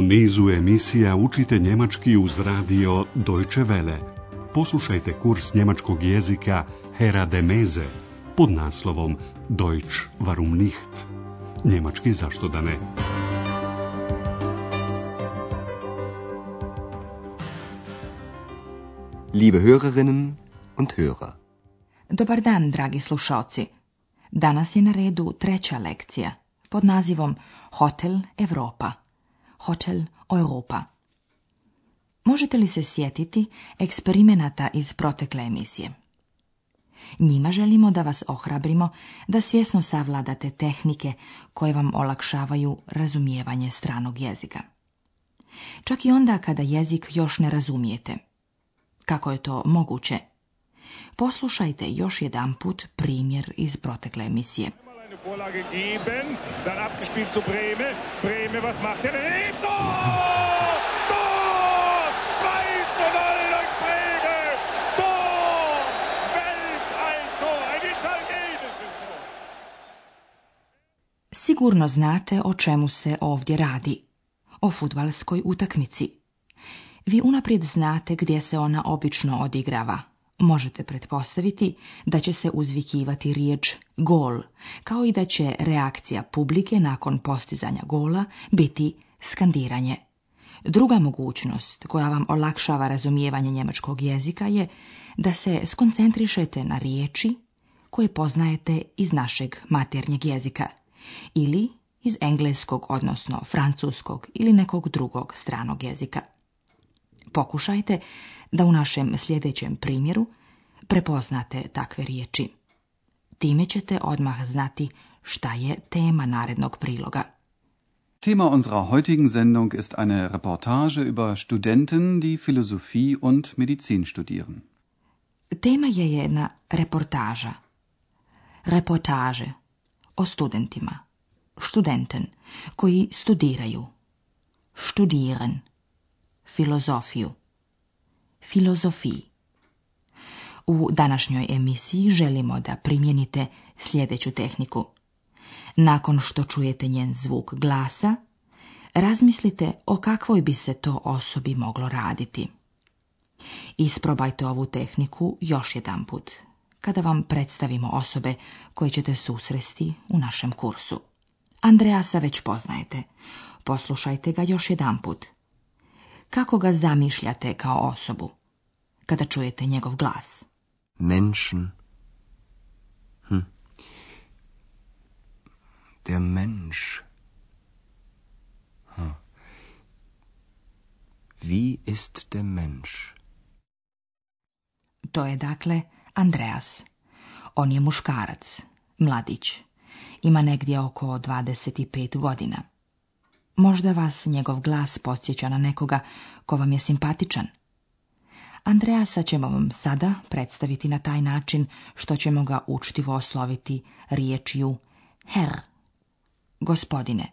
nizu emisija učite njemački uz radio Deutsche Welle. Poslušajte kurs njemačkog jezika Hera de Meze pod naslovom Deutsch warum nicht? Njemački zašto da ne? Liebe Hörerinnen und Hörer. Dobar dan, dragi slušaoci. Danas je na redu treća lekcija pod nazivom Hotel Europa. Hotel Europa. Možete li se sjetiti eksperimenata iz protekle emisije? Njima želimo da vas ohrabrimo da svjesno savladate tehnike koje vam olakšavaju razumijevanje stranog jezika. Čak i onda kada jezik još ne razumijete. Kako je to moguće? Poslušajte još jedanput primjer iz protekle emisije. Vorlage geben, dann abgespielt zu Brehme. Brehme, was macht er? Tor! Tor! 2:0 durch Brehme! Tor! Weltalltor! Ein italienisches Tor! Sigurno znate o čemu se ovdje radi. O fudbalskoj utakmici. Vi unaprijed znate gdje se ona obično odigrava. Možete pretpostaviti da će se uzvikivati riječ gol, kao i da će reakcija publike nakon postizanja gola biti skandiranje. Druga mogućnost koja vam olakšava razumijevanje njemačkog jezika je da se skoncentrišete na riječi koje poznajete iz našeg maternjeg jezika ili iz engleskog, odnosno francuskog ili nekog drugog stranog jezika. Pokušajte da u našem sljedećem primjeru prepoznate takve riječi. Time ćete odmah znati šta je tema narednog priloga. Thema unserer heutigen Sendung ist eine Reportage über Studenten, die Philosophie und Medizin studieren. Tema je jedna reportaža. Reportaže o studentima. Studenten koji studiraju. Studieren. Filozofiju. Filozofiji. U današnjoj emisiji želimo da primijenite sljedeću tehniku. Nakon što čujete njen zvuk glasa, razmislite o kakvoj bi se to osobi moglo raditi. Isprobajte ovu tehniku još jedanput, kada vam predstavimo osobe koje ćete susresti u našem kursu. Andreasa već poznajete. Poslušajte ga još jedanput. Kako ga zamišljate kao osobu kada čujete njegov glas? Menschen. Der Mensch. Wie ist der Mensch? To je dakle Andreas. On je muškarac, mladić. Ima negdje oko 25 godina. Možda vas njegov glas podsjeća na nekoga ko vam je simpatičan. Andreasa ćemo vam sada predstaviti na taj način što ćemo ga učtivo osloviti riječju Herr, gospodine.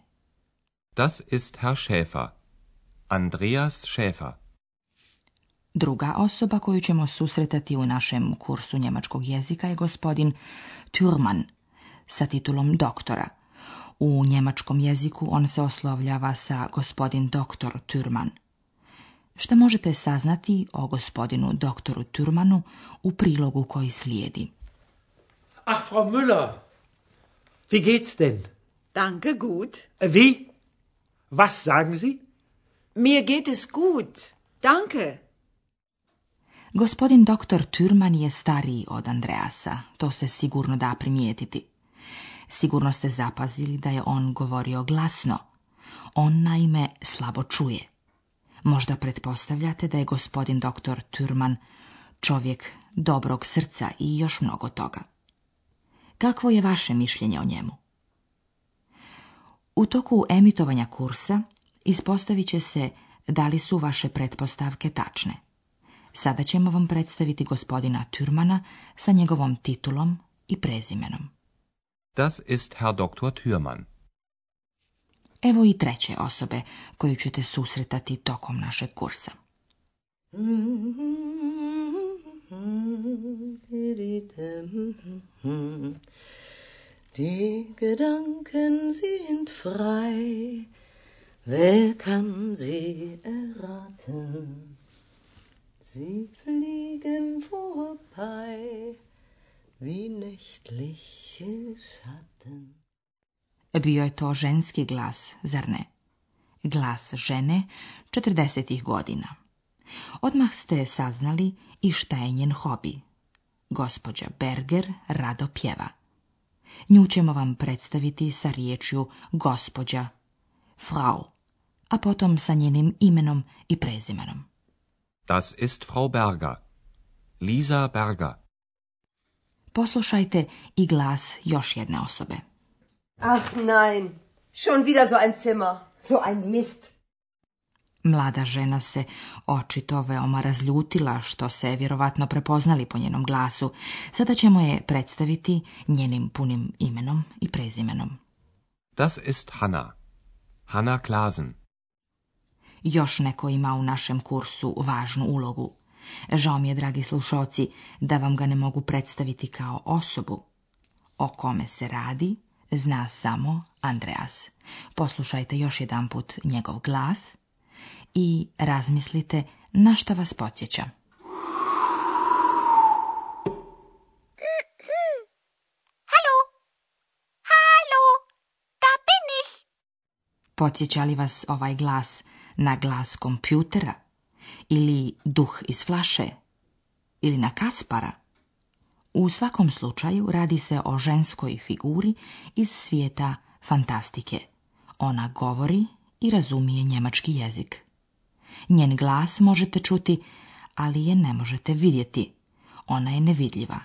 Das ist Herr Schäfer. Andreas Schäfer. Druga osoba koju ćemo susretati u našem kursu njemačkog jezika je gospodin Thürmann sa titulom doktora. U njemačkom jeziku on se oslovljava sa gospodin doktor Thürmann. Šta možete saznati o gospodinu doktoru Thürmannu u prilogu koji slijedi? Ach, Frau Müller, wie geht's denn? Danke, gut. Wie? Was sagen Sie? Mir geht es gut. Danke. Gospodin doktor Thürmann je stariji od Andreasa, to se sigurno da primijetiti. Sigurno ste zapazili da je on govorio glasno. On naime slabo čuje. Možda pretpostavljate da je gospodin doktor Thürmann čovjek dobrog srca i još mnogo toga. Kakvo je vaše mišljenje o njemu? U toku emitovanja kursa ispostavit će se da li su vaše pretpostavke tačne. Sada ćemo vam predstaviti gospodina Thürmanna sa njegovom titulom i prezimenom. Das ist Herr Dr. Thürmann. Evo i treće osobe koju ćete susretati tokom našeg kursa. Die Gedanken sind frei, Wer kann sie erraten? Sie fliegen vorbei wie nächtliche Schatten. Bio je to ženski glas, zar ne? Glas žene 40. godina. Odmah ste saznali i šta je njen hobi. Gospođa Berger rado pjeva. Nju ćemo vam predstaviti sa riječju gospođa, Frau, a potom sa njenim imenom i prezimenom. Das ist Frau Berger. Lisa Berger. Poslušajte i glas još jedne osobe. Ach nein, schon wieder so ein Zimmer, so ein Mist. Mlada žena se očito veoma razljutila što se vjerovatno prepoznali po njenom glasu. Sada ćemo je predstaviti njenim punim imenom i prezimenom. Das ist Hanna. Hanna Klasen. Još neko ima u našem kursu važnu ulogu. Žao mi je, dragi slušalci, da vam ga ne mogu predstaviti kao osobu. O kome se radi, zna samo Andreas. Poslušajte još jedanput njegov glas i razmislite na šta vas podsjeća. Hallo, hallo, da bin ich. Podsjeća li vas ovaj glas na glas kompjutera ili duh iz flaše ili na Kaspara? U svakom slučaju radi se o ženskoj figuri iz svijeta fantastike. Ona govori i razumije njemački jezik. Njen glas možete čuti, ali je ne možete vidjeti. Ona je nevidljiva.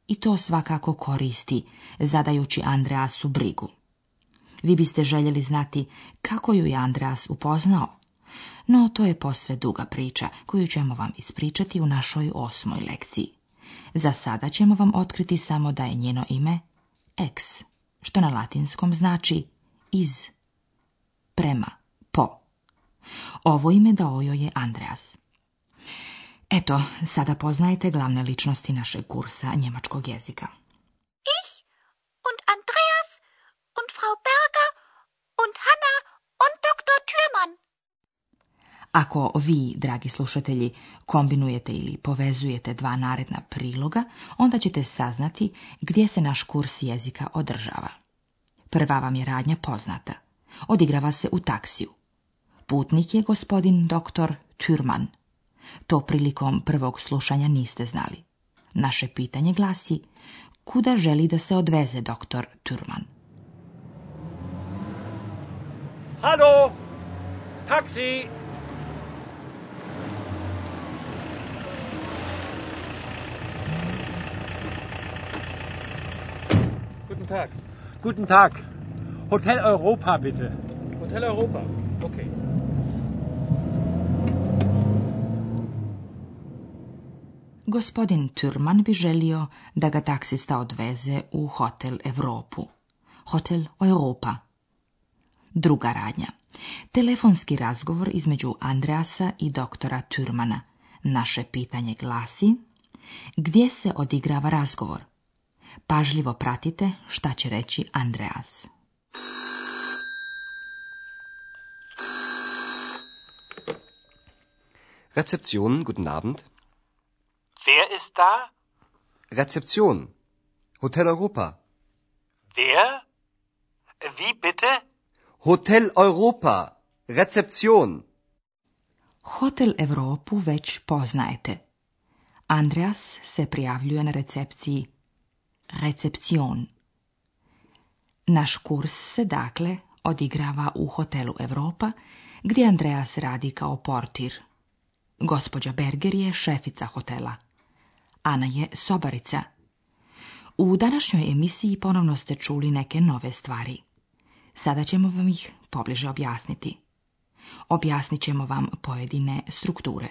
I to svakako koristi, zadajući Andreasu brigu. Vi biste željeli znati kako ju je Andreas upoznao, no to je posve duga priča koju ćemo vam ispričati u našoj 8. lekciji. Za sada ćemo vam otkriti samo da je njeno ime ex, što na latinskom znači iz, prema, po. Ovo ime dao joj je Andreas. Eto, sada poznajete glavne ličnosti našeg kursa njemačkog jezika. Ich und Andreas und Frau Berger und Hanna und Dr. Thürmann. Ako vi, dragi slušatelji, kombinujete ili povezujete dva naredna priloga, onda ćete saznati gdje se naš kurs jezika održava. Prva vam je radnja poznata. Odigrava se u taksiju. Putnik je gospodin dr. Thürmann. To prilikom prvog slušanja niste znali. Naše pitanje glasi: kuda želi da se odveze dr. Thürmann? Hallo, taksi. Guten Tag. Guten Tag. Hotel Europa, bitte. Hotel Europa, okay. Gospodin Thürmann bi želio da ga taksista odveze u Hotel Europu. Hotel Europa. Druga radnja. Telefonski razgovor između Andreasa i doktora Thürmana. Naše pitanje glasi: gdje se odigrava razgovor? Pažljivo pratite šta će reći Andreas. Rezeption, guten Abend. Wer ist da? Rezeption. Hotel Europa. Wer? Wie bitte? Hotel Europa. Rezeption. Hotel Europu već poznajete. Andreas se prijavljuje na recepciji Reception. Naš kurs se dakle odigrava u Hotelu Europa, gdje Andreas radi kao portir. Gospođa Berger je šefica hotela. Ana je sobarica. U današnjoj emisiji ponovno ste čuli neke nove stvari. Sada ćemo vam ih pobliže objasniti. Objasnit ćemo vam pojedine strukture.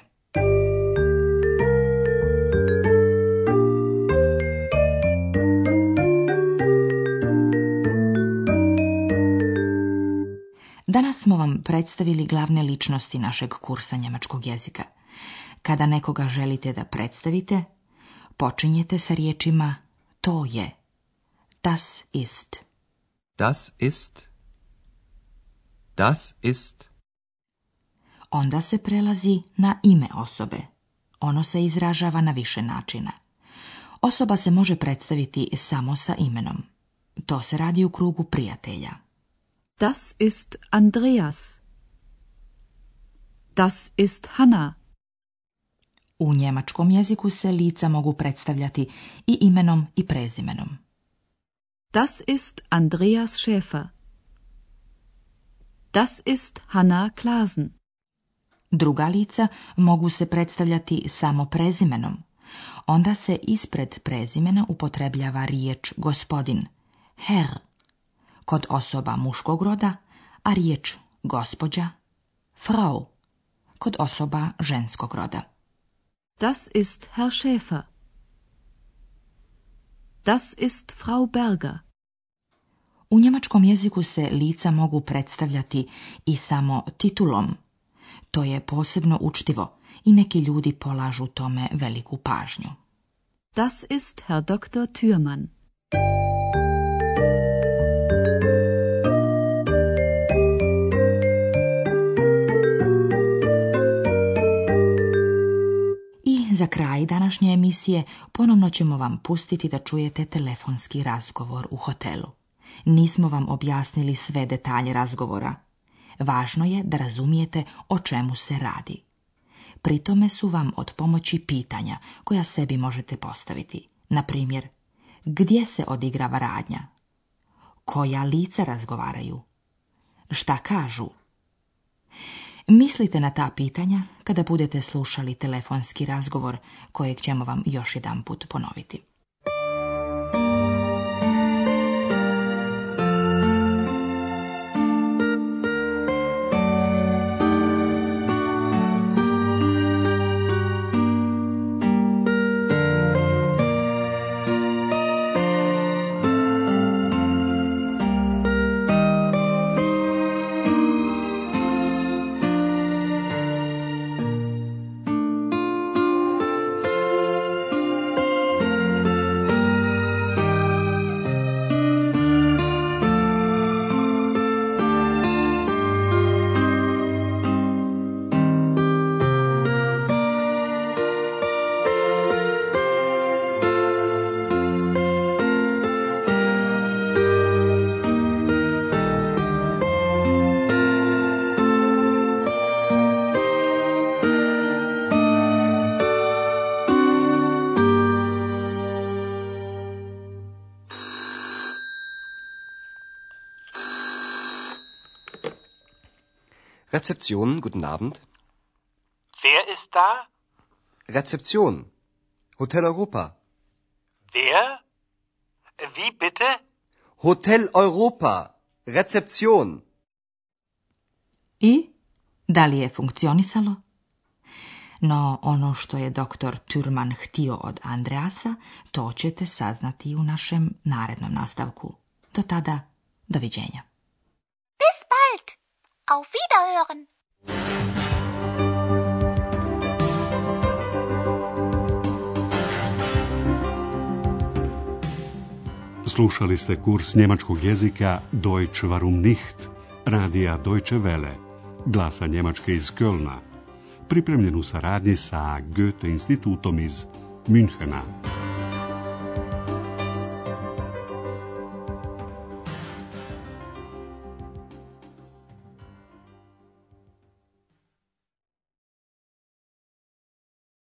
Danas smo vam predstavili glavne ličnosti našeg kursa njemačkog jezika. Kada nekoga želite da predstavite, počinjete sa riječima to je. Das ist. Das ist. Das ist. Onda se prelazi na ime osobe. Ono se izražava na više načina. Osoba se može predstaviti samo sa imenom. To se radi u krugu prijatelja. Das ist Andreas. Das ist Hanna. U njemačkom jeziku se lica mogu predstavljati i imenom i prezimenom. Das ist Andreas Schäfer. Das ist Hanna Klasen. Druga lica mogu se predstavljati samo prezimenom. Onda se ispred prezimena upotrebljava riječ gospodin, Herr, kod osoba muškog roda, a riječ gospođa, Frau, kod osoba ženskog roda. Das ist Herr Schäfer. Das ist Frau Berger. U njemačkom jeziku se lica mogu predstavljati i samo titulom. To je posebno učtivo i neki ljudi polažu tome veliku pažnju. Das ist Herr Dr. Thürmann. I za kraj današnje emisije ponovno ćemo vam pustiti da čujete telefonski razgovor u hotelu. Nismo vam objasnili sve detalje razgovora. Važno je da razumijete o čemu se radi. Pri tome su vam od pomoći pitanja koja sebi možete postaviti. Na primjer, gdje se odigrava radnja? Koja lica razgovaraju? Šta kažu? Mislite na ta pitanja kada budete slušali telefonski razgovor kojeg ćemo vam još jedanput ponoviti. Rezeption, guten Abend. Wer ist da? Rezeption. Hotel Europa. Wer? Wie bitte? Hotel Europa. Rezeption. I? Da li je funkcionisalo? No ono što je doktor Thürmann htio od Andreasa, to ćete saznati u našem narednom nastavku. Do tada, doviđenja. Bis bald. Auf Wiederhören. Slušali ste kurs njemačkog jezika Deutsch warum nicht, radija Deutsche Welle, glasa Njemačke iz Kölna, pripremljen u saradnji sa Goethe institutom iz Münchena.